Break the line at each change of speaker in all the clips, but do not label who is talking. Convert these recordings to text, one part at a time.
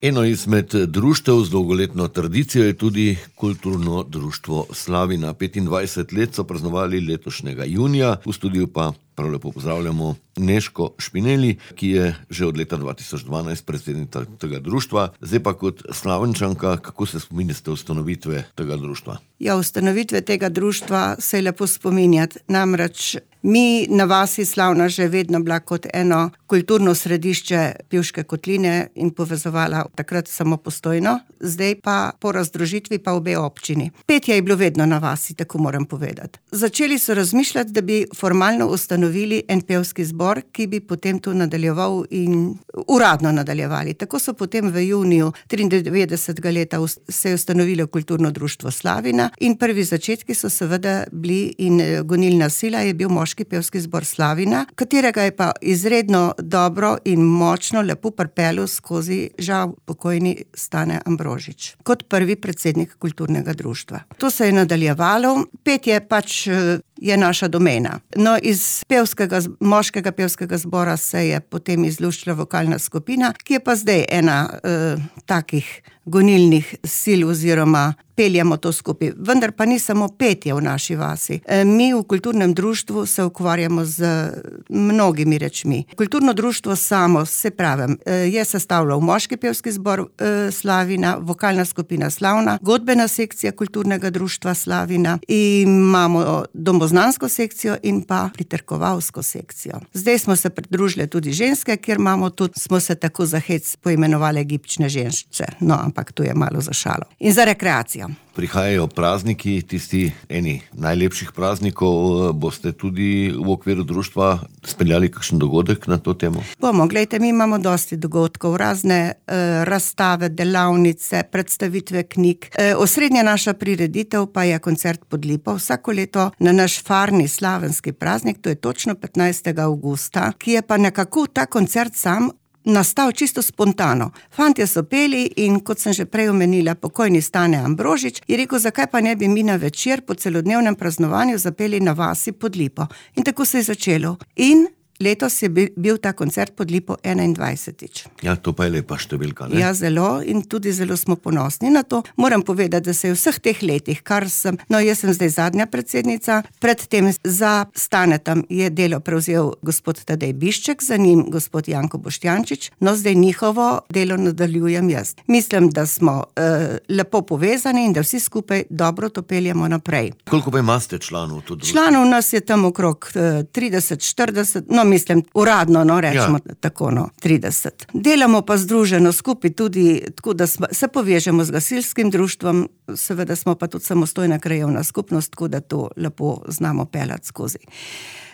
Eno izmed društev z dolgoletno tradicijo je tudi kulturno društvo Slavina. 25 let so praznovali letošnjega junija, v studiu pa prav lepo pozdravljamo Nežko Špinelli, ki je že od leta 2012 predsednica tega društva. Zdaj pa kot Slavenčanka, kako se spominjate ustanovitve tega društva?
Ja, ustanovitve tega društva se je lepo spominjati. Namreč mi na vasi Slavna že vedno bila kot eno kulturno središče Pivške kotline in povezovala takrat samo Postojno, zdaj pa po razdružitvi pa obe občini. Petje je bilo vedno na vasi, tako moram povedati. Začeli so razmišljati, da bi formalno ustanovili en pevski zbor, ki bi potem tu nadaljeval in uradno nadaljevali. Tako so potem v juniju 93. leta se je ustanovilo kulturno društvo Slavina in prvi začetki so seveda bili in gonilna sila je bil moški pevski zbor Slavina, katerega je pa izredno dobro in močno lepo pripeljal skozi žal pokojni Stane Ambrožič kot prvi predsednik kulturnega društva. To se je nadaljevalo, petje pač je naša domena. No, iz moškega pevskega zbora se je potem izluščila vokalna skupina, ki je pa zdaj ena takih gonilnih sil oziroma peljamo to skupaj. Vendar pa ni samo petje v naši vasi. Mi v kulturnem društvu se ukvarjamo z mnogimi rečmi. Kulturno društvo samo, se pravim, je sestavljal moški pevski zbor Slavina, vokalna skupina Slavna, godbena sekcija kulturnega društva Slavina, imamo domoznansko sekcijo in pa pritrkovalsko sekcijo. Zdaj smo se pridružili tudi ženske, kjer imamo tudi, smo se tako za hec poimenovali gibčne ženšče. No, ampak to je malo za šalo. In za rekreacijo.
Prihajajo prazniki, tisti eni najlepših praznikov. Boste tudi v okviru društva speljali kakšen dogodek na to temo?
Bomo, glejte, mi imamo dosti dogodkov, razne razstave, delavnice, predstavitve knjig. Osrednja naša prireditev pa je koncert pod lipo. Vsako leto na naš farni slavenski praznik, to je točno 15. avgusta, ki je pa nekako ta koncert sam nastal čisto spontano. Fantje so peli in kot sem že prej omenila, pokojni Stane Ambrožič je rekel, zakaj pa ne bi mi na večer po celodnevnem praznovanju zapeli na vasi pod lipo. In tako se je začelo. In letos je bil ta koncert pod lipo 21.
Ja, to pa je lepa številka, ne?
Ja, zelo in tudi zelo smo ponosni na to. Moram povedati, da se je v vseh teh letih, jaz sem zdaj zadnja predsednica, predtem za Stanetom je delo prevzel gospod Tadej Bišček, za njim gospod Janko Boštjančič, no zdaj njihovo delo nadaljujem jaz. Mislim, da smo lepo povezani in da vsi skupaj dobro to peljemo naprej.
Koliko pa imate članov tu društva?
Članov nas je tam okrog 30-40, mislim, uradno, rečemo tako, 30. Delamo pa združeno skupaj tudi, tako da se povežemo z gasilskim društvom, seveda smo pa tudi samostojna krajevna skupnost, tako da to lepo znamo peljati skozi.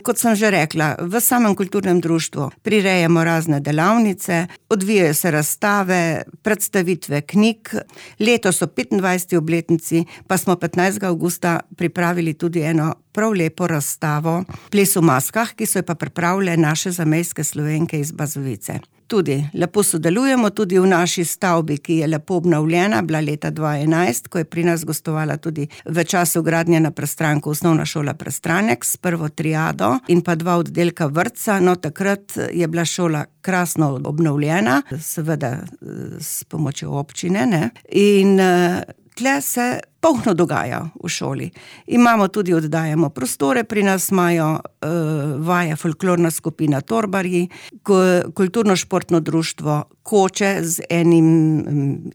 Kot sem že rekla, v samem kulturnem društvu prirejamo razne delavnice, odvijajo se razstave, predstavitve knjig. Letos so 25. obletnici, pa smo 15. avgusta pripravili tudi eno prav lepo razstavo Ples v maskah, ki so jo pa pripravile naše zamejske Slovenke iz Bazovice. Tudi lepo sodelujemo tudi v naši stavbi, ki je lepo obnovljena, bila leta 2011, ko je pri nas gostovala tudi v času gradnje na Prestranku osnovna šola Prestranek s prvo triado in pa 2 oddelka vrtca. No, takrat je bila šola krasno obnovljena, seveda s pomočjo občine, ne? In tle se polno dogaja v šoli. Imamo tudi, oddajamo prostore, pri nas imajo vaje folklorna skupina Torbarji, kulturno-športno društvo Koče z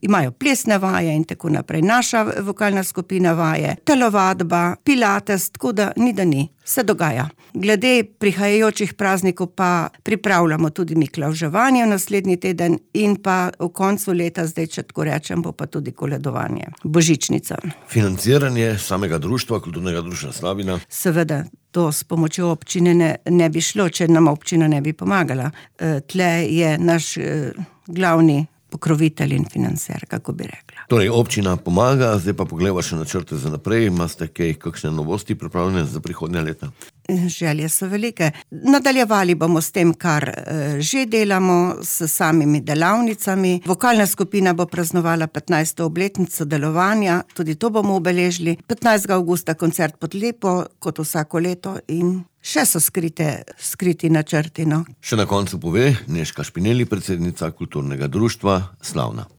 imajo plesne vaje in tako naprej. Naša vokalna skupina vaje, telovadba, pilates, tako da ni. Se dogaja. Glede prihajajočih praznikov pa pripravljamo tudi miklavževanje v naslednji teden in pa v koncu leta, zdaj če tako rečem, bo pa tudi koledovanje, božičnica.
Financiranje samega društva, kulturnega društva Slavina?
Seveda, to s pomočjo občine ne bi šlo, če nam občina ne bi pomagala. Tle je naš glavni pokrovitelj in financer, kako bi rekla.
Torej, občina pomaga, zdaj pa pogledava še načrte za naprej. Imate kakšne novosti pripravljene za prihodnja leta?
Želje so velike. Nadaljevali bomo s tem, kar že delamo, s samimi delavnicami. Vokalna skupina bo praznovala 15. obletnico delovanja, tudi to bomo obeležili. 15. avgusta koncert pod lipo, kot vsako leto, in še so skriti načrti.
Še na koncu pove Nežka Špinelli, predsednica kulturnega društva Slavna.